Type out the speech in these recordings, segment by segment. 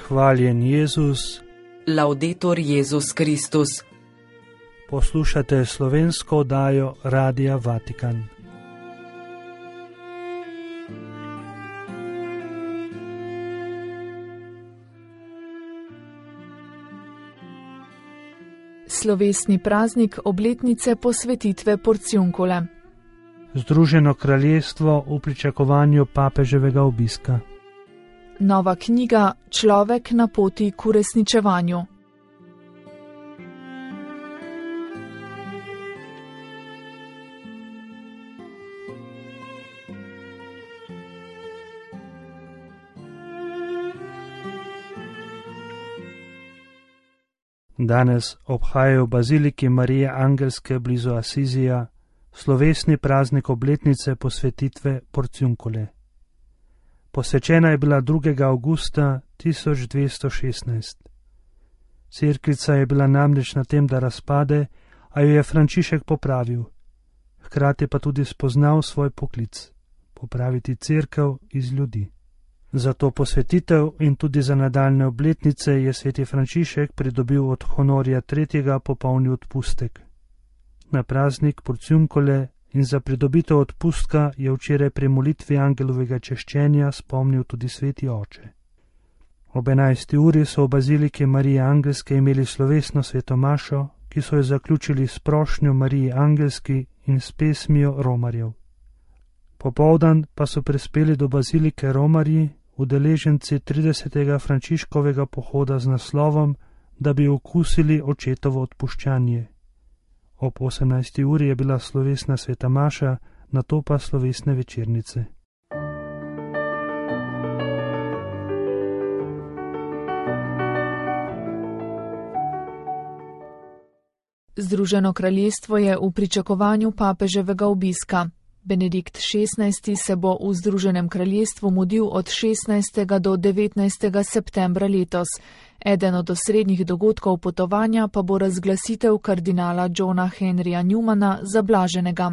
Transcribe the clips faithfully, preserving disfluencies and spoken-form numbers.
Hvaljen Jezus. Laudetur Jezus Kristus. Poslušate slovensko oddajo Radia Vatikan. Slovesni praznik obletnice posvetitve Porciuncule. Združeno kraljestvo v pričakovanju papeževega obiska. Nova knjiga Človek na poti k uresničevanju. Danes obhajajo v baziliki Marije Angelske blizu Asizija slovesni praznik obletnice posvetitve Porciuncule. Posvečena je bila drugega avgusta tisoč dvesto šestnajst. Cerkvica je bila namreč na tem, da razpade, a jo je Frančišek popravil, hkrati pa tudi spoznal svoj poklic – popraviti cerkev iz ljudi. Za to posvetitev in tudi za nadaljne obletnice je sveti Frančišek pridobil od honorja tretjega popolni odpustek. Na praznik Porciuncule in za pridobitev odpustka je včeraj pri molitvi angelovega češčenja spomnil tudi sveti oče. Ob enajsti uri so v baziliki Marije Angelske imeli slovesno svetomašo, ki so jo zaključili s prošnjo Mariji Angelski in s pesmijo romarjev. Popoldan pa so prispeli do bazilike romarji, udeleženci tridesetega Frančiškovega pohoda z naslovom, da bi okusili očetovo odpuščanje. Ob osemnajsti uri je bila slovesna sveta maša, nato pa slovesne večernice. Združeno kraljestvo je v pričakovanju papeževega obiska. Benedikt šestnajsti se bo v Združenem kraljestvu mudil od šestnajstega do devetnajstega septembra letos. Eden od osrednjih dogodkov potovanja pa bo razglasitev kardinala Johna Henryja Newmana za blaženega.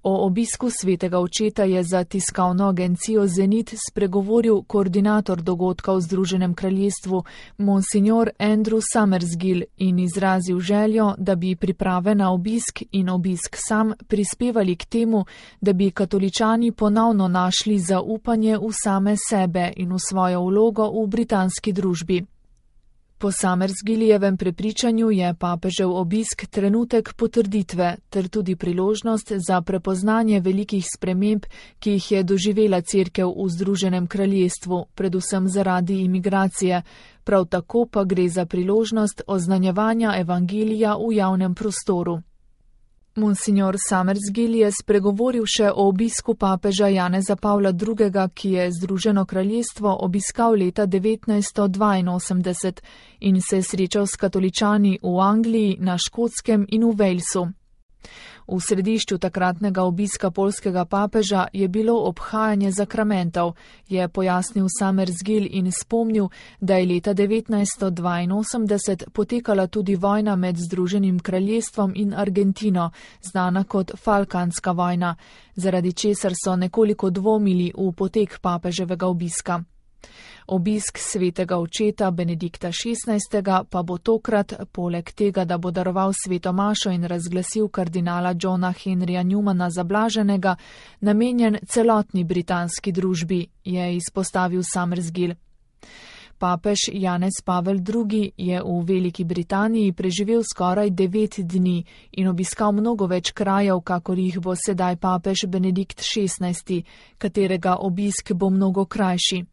O obisku svetega očeta je za tiskovno agencijo Zenit spregovoril koordinator dogodka v Združenem kraljestvu Monsignor Andrew Summersgill in izrazil željo, da bi priprave na obisk in obisk sam prispevali k temu, da bi katoličani ponovno našli zaupanje v same sebe in v svojo vlogo v britanski družbi. Po Summersgillijevem prepričanju je papežev obisk trenutek potrditve ter tudi priložnost za prepoznanje velikih sprememb, ki jih je doživela cerkev v Združenem kraljestvu, predvsem zaradi imigracije. Prav tako pa gre za priložnost oznanjevanja evangelija v javnem prostoru. Monsignor Summersgill je spregovoril še o obisku papeža Janeza Pavla drugega, ki je Združeno kraljestvo obiskal leta devetnajststo dvainosemdeset in se srečal s katoličani v Angliji, na Škotskem in v Walesu. V središču takratnega obiska poljskega papeža je bilo obhajanje zakramentov, je pojasnil Summersgill in spomnil, da je leta devetnajststo dvainosemdeset potekala tudi vojna med Združenim kraljestvom in Argentino, znana kot Falklandska vojna, zaradi česar so nekoliko dvomili v potek papeževega obiska. Obisk svetega očeta Benedikta šestnajstega pa bo tokrat, poleg tega, da bo daroval sveto mašo in razglasil kardinala Johna Henryja Newmana za blaženega, namenjen celotni britanski družbi, je izpostavil Summersgill. Papež Janez Pavel drugi je v Veliki Britaniji preživel skoraj devet dni in obiskal mnogo več krajev, kakor jih bo sedaj papež Benedikt šestnajsti, katerega obisk bo mnogo krajši.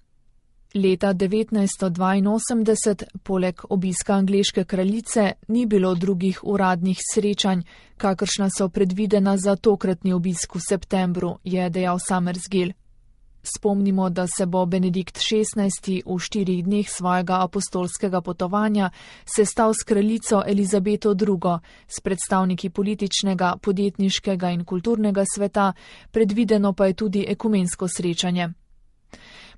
Leta devetnajststo dvainosemdeset, poleg obiska angleške kraljice, ni bilo drugih uradnih srečanj, kakršna so predvidena za tokratni obisk v septembru, je dejal Summersgill. Spomnimo, da se bo Benedikt šestnajsti v štirih dneh svojega apostolskega potovanja sestal s kraljico Elizabeto drugo, s predstavniki političnega, podjetniškega in kulturnega sveta, predvideno pa je tudi ekumensko srečanje.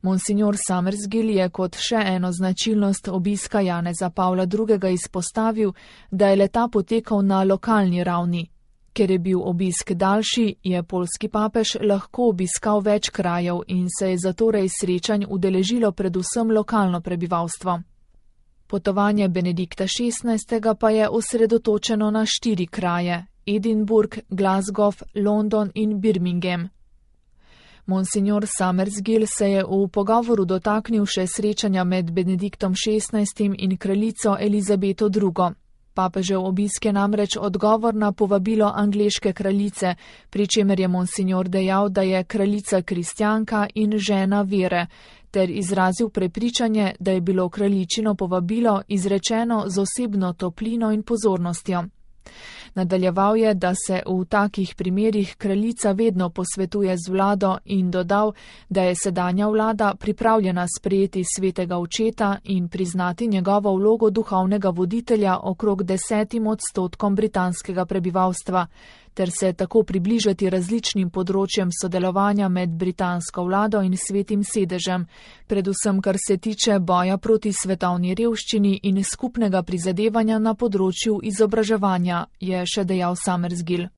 Monsignor Summersgill je kot še eno značilnost obiska Janeza Pavla drugega izpostavil, da je le-ta potekal na lokalni ravni. Ker je bil obisk daljši, je poljski papež lahko obiskal več krajev in se je zatorej srečanj udeležilo predvsem lokalno prebivalstvo. Potovanje Benedikta šestnajstega pa je osredotočeno na štiri kraje: Edinburgh, Glasgow, London in Birmingham. Monsignor Summersgill se je v pogovoru dotaknil še srečanja med Benediktom šestnajstim in kraljico Elizabeto drugo. Papežev obisk je namreč odgovor na povabilo angleške kraljice, pri čemer je monsignor dejal, da je kraljica kristjanka in žena vere, ter izrazil prepričanje, da je bilo kraljičino povabilo izrečeno z osebno toplino in pozornostjo. Nadaljeval je, da se v takih primerih kraljica vedno posvetuje z vlado in dodal, da je sedanja vlada pripravljena sprejeti svetega očeta in priznati njegovo vlogo duhovnega voditelja okrog desetim odstotkom britanskega prebivalstva, ter se tako približati različnim področjem sodelovanja med britansko vlado in svetim sedežem, predvsem kar se tiče boja proti svetovni revščini in skupnega prizadevanja na področju izobraževanja, je še dejal Summersgill.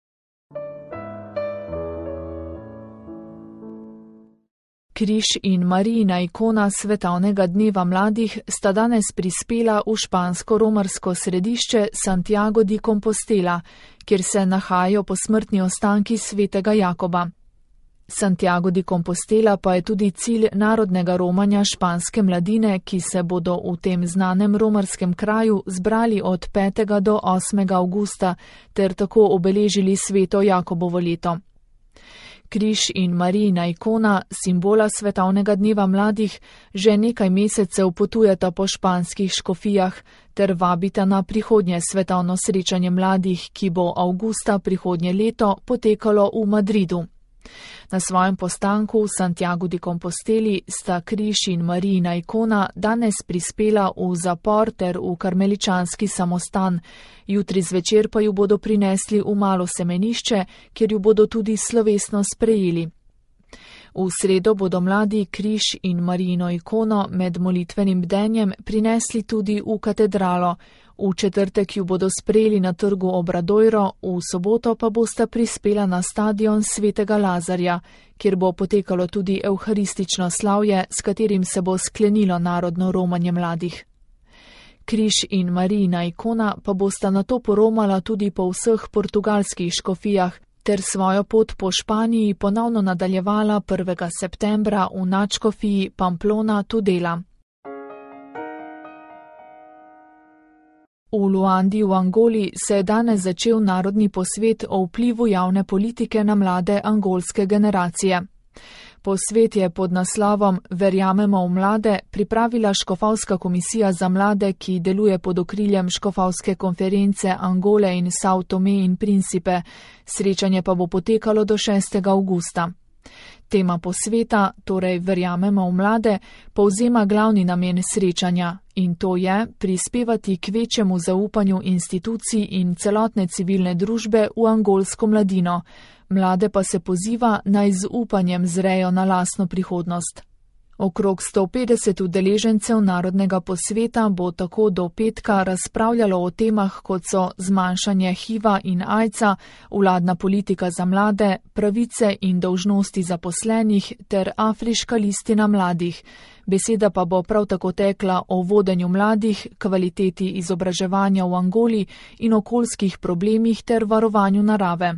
Križ in Marijina ikona svetovnega dneva mladih sta danes prispela v špansko-romarsko središče Santiago de Compostela, kjer se nahajajo posmrtni ostanki svetega Jakoba. Santiago de Compostela pa je tudi cilj narodnega romanja španske mladine, ki se bodo v tem znanem romarskem kraju zbrali od petega do osmega avgusta ter tako obeležili sveto Jakobovo leto. Križ in Marijina ikona, simbola svetovnega dneva mladih, že nekaj mesecev potujeta po španskih škofijah ter vabita na prihodnje svetovno srečanje mladih, ki bo avgusta prihodnje leto potekalo v Madridu. Na svojem postanku v Santiago de Composteli sta Križ in Marijina ikona danes prispela v zapor ter v karmeličanski samostan, jutri zvečer pa ju bodo prinesli v malo semenišče, kjer ju bodo tudi slovesno sprejeli. V sredo bodo mladi Križ in Marijino ikono med molitvenim bdenjem prinesli tudi v katedralo, v četrtek ju bodo sprejeli na trgu Obradoiro, v soboto pa bosta prispela na stadion svetega Lazarja, kjer bo potekalo tudi evharistično slavje, s katerim se bo sklenilo narodno romanje mladih. Križ in Marijina ikona pa bosta nato poromala tudi po vseh portugalskih škofijah, ter svojo pot po Španiji ponovno nadaljevala prvega septembra v nadškofiji Pamplona Tudela. V Luandi v Angoli se je danes začel narodni posvet o vplivu javne politike na mlade angolske generacije. Posvet je pod naslovom Verjamemo v mlade pripravila Škofovska komisija za mlade, ki deluje pod okriljem Škofovske konference Angole in Sao Tome in Principe. Srečanje pa bo potekalo do šestega avgusta. Tema posveta, torej Verjamemo v mlade, povzema glavni namen srečanja in to je prispevati k večjemu zaupanju institucij in celotne civilne družbe v angolsko mladino. Mlade pa se poziva, naj z upanjem zrejo na lastno prihodnost. Okrog sto petdeset udeležencev narodnega posveta bo tako do petka razpravljalo o temah, kot so zmanjšanje hiva in ajca, vladna politika za mlade, pravice in dolžnosti zaposlenih ter afriška listina mladih. Beseda pa bo prav tako tekla o vodenju mladih, kvaliteti izobraževanja v Angoli in okoljskih problemih ter varovanju narave.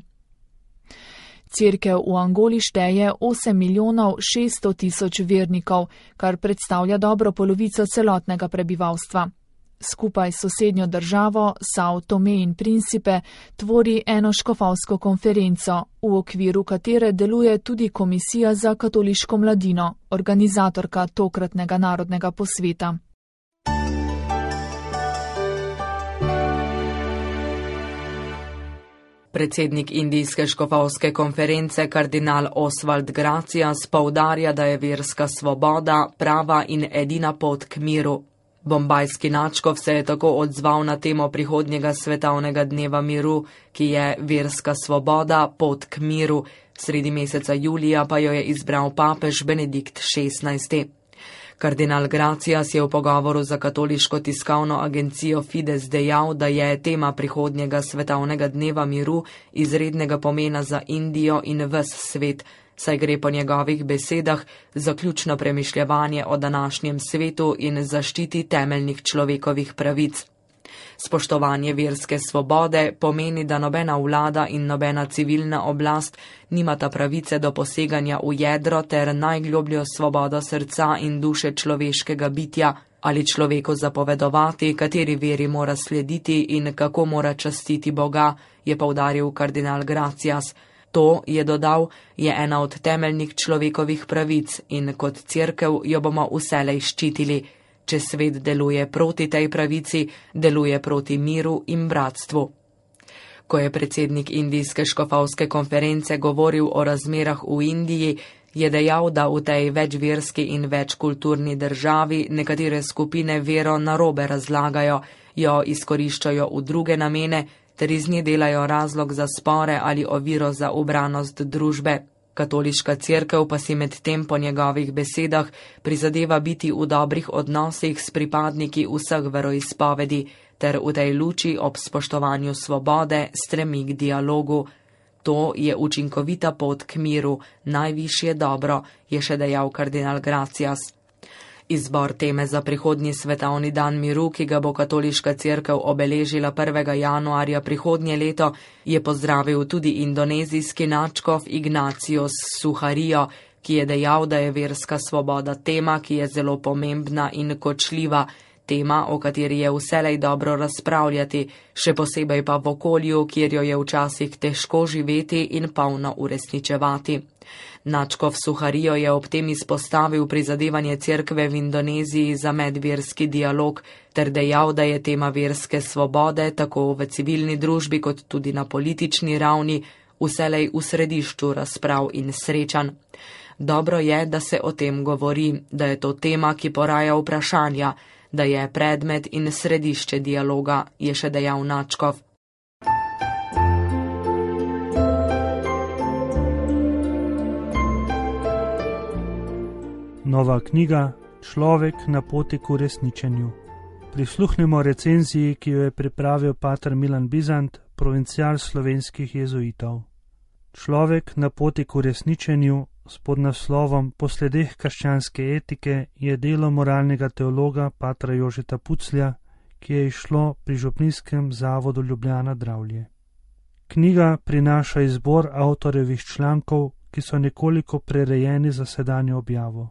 Cerkev v Angoli šteje osem milijonov šeststo tisoč vernikov, kar predstavlja dobro polovico celotnega prebivalstva. Skupaj s sosednjo državo Sao Tome in Principe tvori eno škofovsko konferenco, v okviru katere deluje tudi Komisija za katoliško mladino, organizatorka tokratnega narodnega posveta. Predsednik indijske škofovske konference kardinal Oswald Gracias poudarja, da je verska svoboda prava in edina pot k miru. Bombajski nadškof se je tako odzval na temo prihodnjega svetovnega dneva miru, ki je verska svoboda, pot k miru. Sredi meseca julija pa jo je izbral papež Benedikt šestnajsti. Kardinal Gracias je v pogovoru za katoliško tiskovno agencijo Fides dejal, da je tema prihodnjega svetovnega dneva miru izrednega pomena za Indijo in ves svet, saj gre po njegovih besedah za ključno premišljevanje o današnjem svetu in zaščiti temeljnih človekovih pravic. Spoštovanje verske svobode pomeni, da nobena vlada in nobena civilna oblast nimata pravice do poseganja v jedro ter najglobljo svobodo srca in duše človeškega bitja ali človeku zapovedovati, kateri veri mora slediti in kako mora častiti Boga, je poudaril kardinal Gracias. To, je dodal, je ena od temeljnih človekovih pravic in kot cerkev jo bomo vselej ščitili. Če svet deluje proti tej pravici, deluje proti miru in bratstvu. Ko je predsednik Indijske škofovske konference govoril o razmerah v Indiji, je dejal, da v tej večverski in večkulturni državi nekatere skupine vero narobe razlagajo, jo izkoriščajo v druge namene ter iz nje delajo razlog za spore ali oviro za ubranost družbe. Katoliška cerkev pa si med tem po njegovih besedah prizadeva biti v dobrih odnosih s pripadniki vseh veroizpovedi ter v tej luči ob spoštovanju svobode stremi k dialogu. To je učinkovita pot k miru, najvišje dobro, je še dejal kardinal Gracias. Izbor teme za prihodnji svetovni dan miru, ki ga bo katoliška cerkev obeležila prvega januarja prihodnje leto, je pozdravil tudi indonezijski nadškof Ignatius Suharto, ki je dejal, da je verska svoboda tema, ki je zelo pomembna in kočljiva, tema, o kateri je vselej dobro razpravljati, še posebej pa v okolju, kjer jo je včasih težko živeti in polno uresničevati. Nadškof Suharto je ob tem izpostavil prizadevanje cerkve v Indoneziji za medverski dialog ter dejal, da je tema verske svobode tako v civilni družbi kot tudi na politični ravni vselej v središču razprav in srečanj. Dobro je, da se o tem govori, da je to tema, ki poraja vprašanja, da je predmet in središče dialoga, je še dejal nadškof. Nova knjiga Človek na poti k uresničenju. Prisluhnimo recenziji, ki jo je pripravil pater Milan Bizant, provincial slovenskih jezuitov. Človek na poti k uresničenju s podnaslovom Po sledeh krščanske etike je delo moralnega teologa patra Jožeta Puclja, ki je izšlo pri Župnijskem zavodu Ljubljana Dravlje. Knjiga prinaša izbor avtorjevih člankov, ki so nekoliko prerejeni za sedanjo objavo.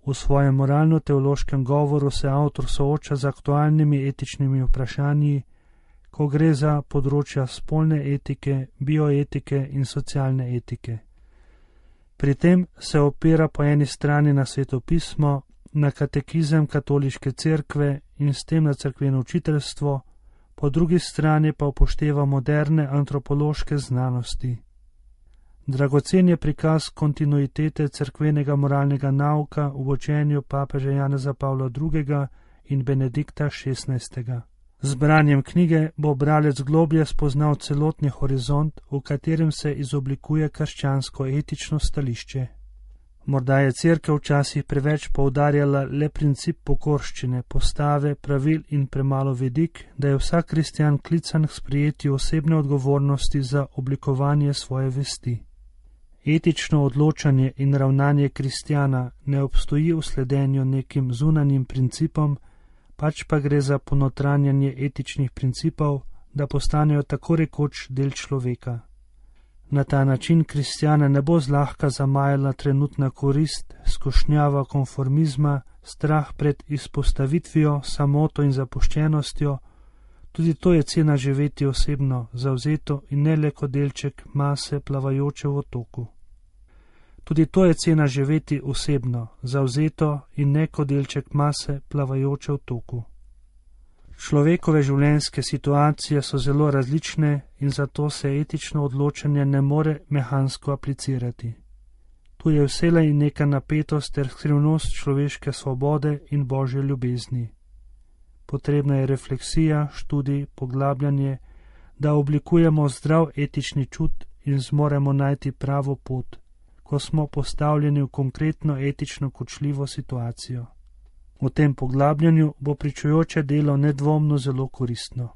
V svojem moralno-teološkem govoru se avtor sooča z aktualnimi etičnimi vprašanji, ko gre za področja spolne etike, bioetike in socialne etike. Pri tem se opira po eni strani na svetopismo, na katekizem katoliške cerkve in s tem na cerkveno učiteljstvo, po drugi strani pa upošteva moderne antropološke znanosti. Dragocen je prikaz kontinuitete cerkvenega moralnega nauka v učenju papeža Janeza Pavla drugega in Benedikta šestnajstega. Z branjem knjige bo bralec globlje spoznal celotni horizont, v katerem se izoblikuje krščansko etično stališče. Morda je cerkev včasih preveč poudarjala le princip pokorščine, postave, pravil in premalo vidik, da je vsak kristjan klican k sprejetju osebne odgovornosti za oblikovanje svoje vesti. Etično odločanje in ravnanje kristjana ne obstoji v sledenju nekim zunanjim principom, pač pa gre za ponotranjanje etičnih principov, da postanejo tako rekoč del človeka. Na ta način kristjana ne bo zlahka zamajala trenutna korist, skušnjava konformizma, strah pred izpostavitvijo, samoto in zapuščenostjo. Tudi to je cena živeti osebno, zavzeto in ne le kot delček mase plavajoče v otoku. Tudi to je cena živeti osebno, zavzeto in ne kot delček mase plavajoče v toku. Človekove življenjske situacije so zelo različne in zato se etično odločanje ne more mehansko aplicirati. Tu je vselej neka napetost ter skrivnost človeške svobode in božje ljubezni. Potrebna je refleksija, študij, poglabljanje, da oblikujemo zdrav etični čut in zmoremo najti pravo pot, ko smo postavljeni v konkretno etično kočljivo situacijo. V tem poglabljanju bo pričujoče delo nedvomno zelo koristno.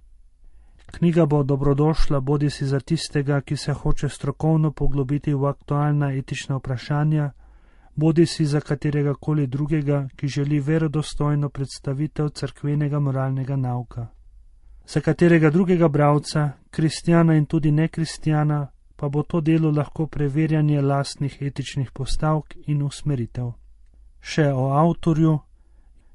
Knjiga bo dobrodošla bodisi za tistega, ki se hoče strokovno poglobiti v aktualna etična vprašanja, bodisi za katerega koli drugega, ki želi verodostojno predstavitev cerkvenega moralnega nauka. Za katerega drugega bralca, kristjana in tudi nekristjana, pa bo to delo lahko preverjanje lastnih etičnih postavk in usmeritev. Še o avtorju.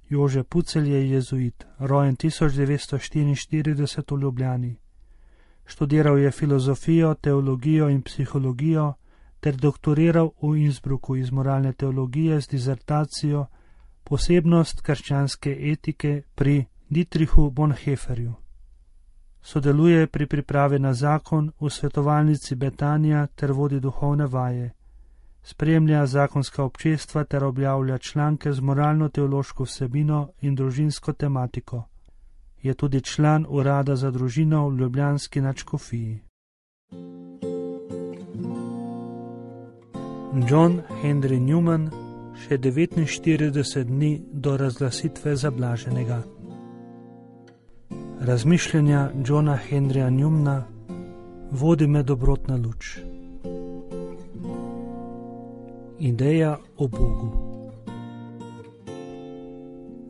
Jože Pucelj je jezuit, rojen tisoč devetsto štiriinštirideset v Ljubljani. Študiral je filozofijo, teologijo in psihologijo ter doktoriral v Innsbrucku iz moralne teologije z dizertacijo Posebnost krščanske etike pri Dietrichu Bonhoefferju. Sodeluje pri pripravi na zakon v svetovalnici Betania ter vodi duhovne vaje. Spremlja zakonska občestva ter objavlja članke z moralno-teološko vsebino in družinsko tematiko. Je tudi član urada za družino v ljubljanski nadškofiji. John Henry Newman, še devetinštirideset dni do razglasitve za blaženega. Razmišljanja Johna Henryja Newmana vodi me dobrotna luč. Ideja o Bogu.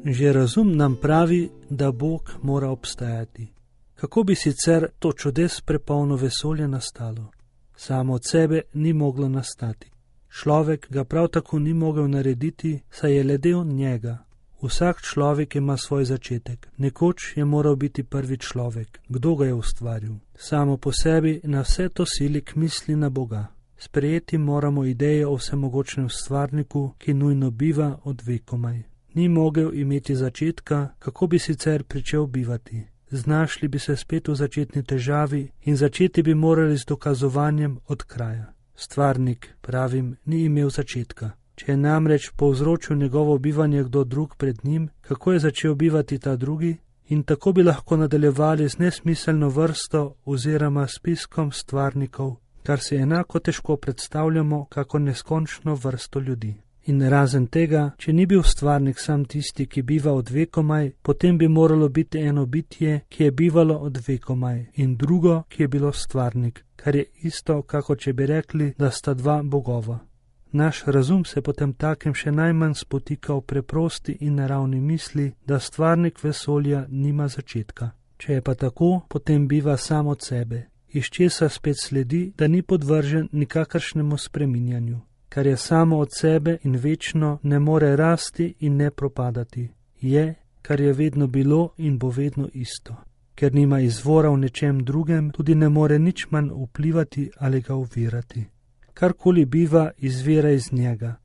Že razum nam pravi, da Bog mora obstajati. Kako bi sicer to čudes prepolno vesolje nastalo? Samo od sebe ni moglo nastati. Človek ga prav tako ni mogel narediti, saj je le del njega. Vsak človek ima svoj začetek. Nekoč je moral biti prvi človek. Kdo ga je ustvaril? Samo po sebi na vse to sili k misli na Boga. Sprejeti moramo ideje o vsemogočnem stvarniku, ki nujno biva od vekomaj. Ni mogel imeti začetka, kako bi sicer pričel bivati. Znašli bi se spet v začetni težavi in začeti bi morali z dokazovanjem od kraja. Stvarnik, pravim, ni imel začetka. Če je namreč povzročil njegovo bivanje kdo drug pred njim, kako je začel bivati ta drugi? In tako bi lahko nadaljevali z nesmiselno vrsto oziroma spiskom stvarnikov, kar si enako težko predstavljamo kako neskončno vrsto ljudi. In razen tega, če ni bil stvarnik sam tisti, ki biva od vekomaj, potem bi moralo biti eno bitje, ki je bivalo od vekomaj, in drugo, ki je bilo stvarnik, kar je isto, kako če bi rekli, da sta dva bogova. Naš razum se potem takem še najmanj spotika v preprosti in naravni misli, da stvarnik vesolja nima začetka. Če je pa tako, potem biva sam od sebe, iz česa spet sledi, da ni podvržen nikakršnemu spreminjanju. Kar je samo od sebe in večno, ne more rasti in ne propadati. Je, kar je vedno bilo in bo vedno isto. Ker nima izvora v nečem drugem, tudi ne more nič manj vplivati ali ga ovirati. Karkoli biva, izvira iz njega.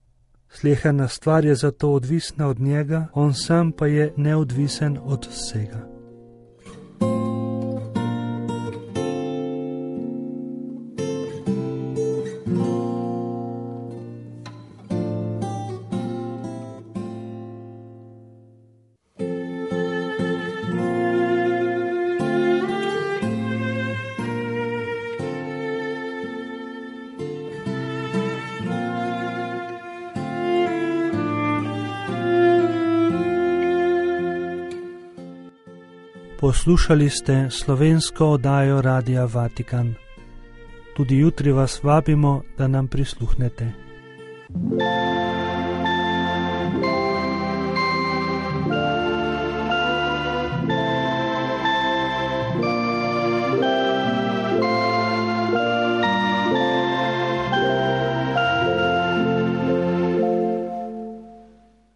Sleherna stvar je zato odvisna od njega, on sam pa je neodvisen od vsega. Poslušali ste slovensko oddajo Radia Vatikan. Tudi jutri vas vabimo, da nam prisluhnete.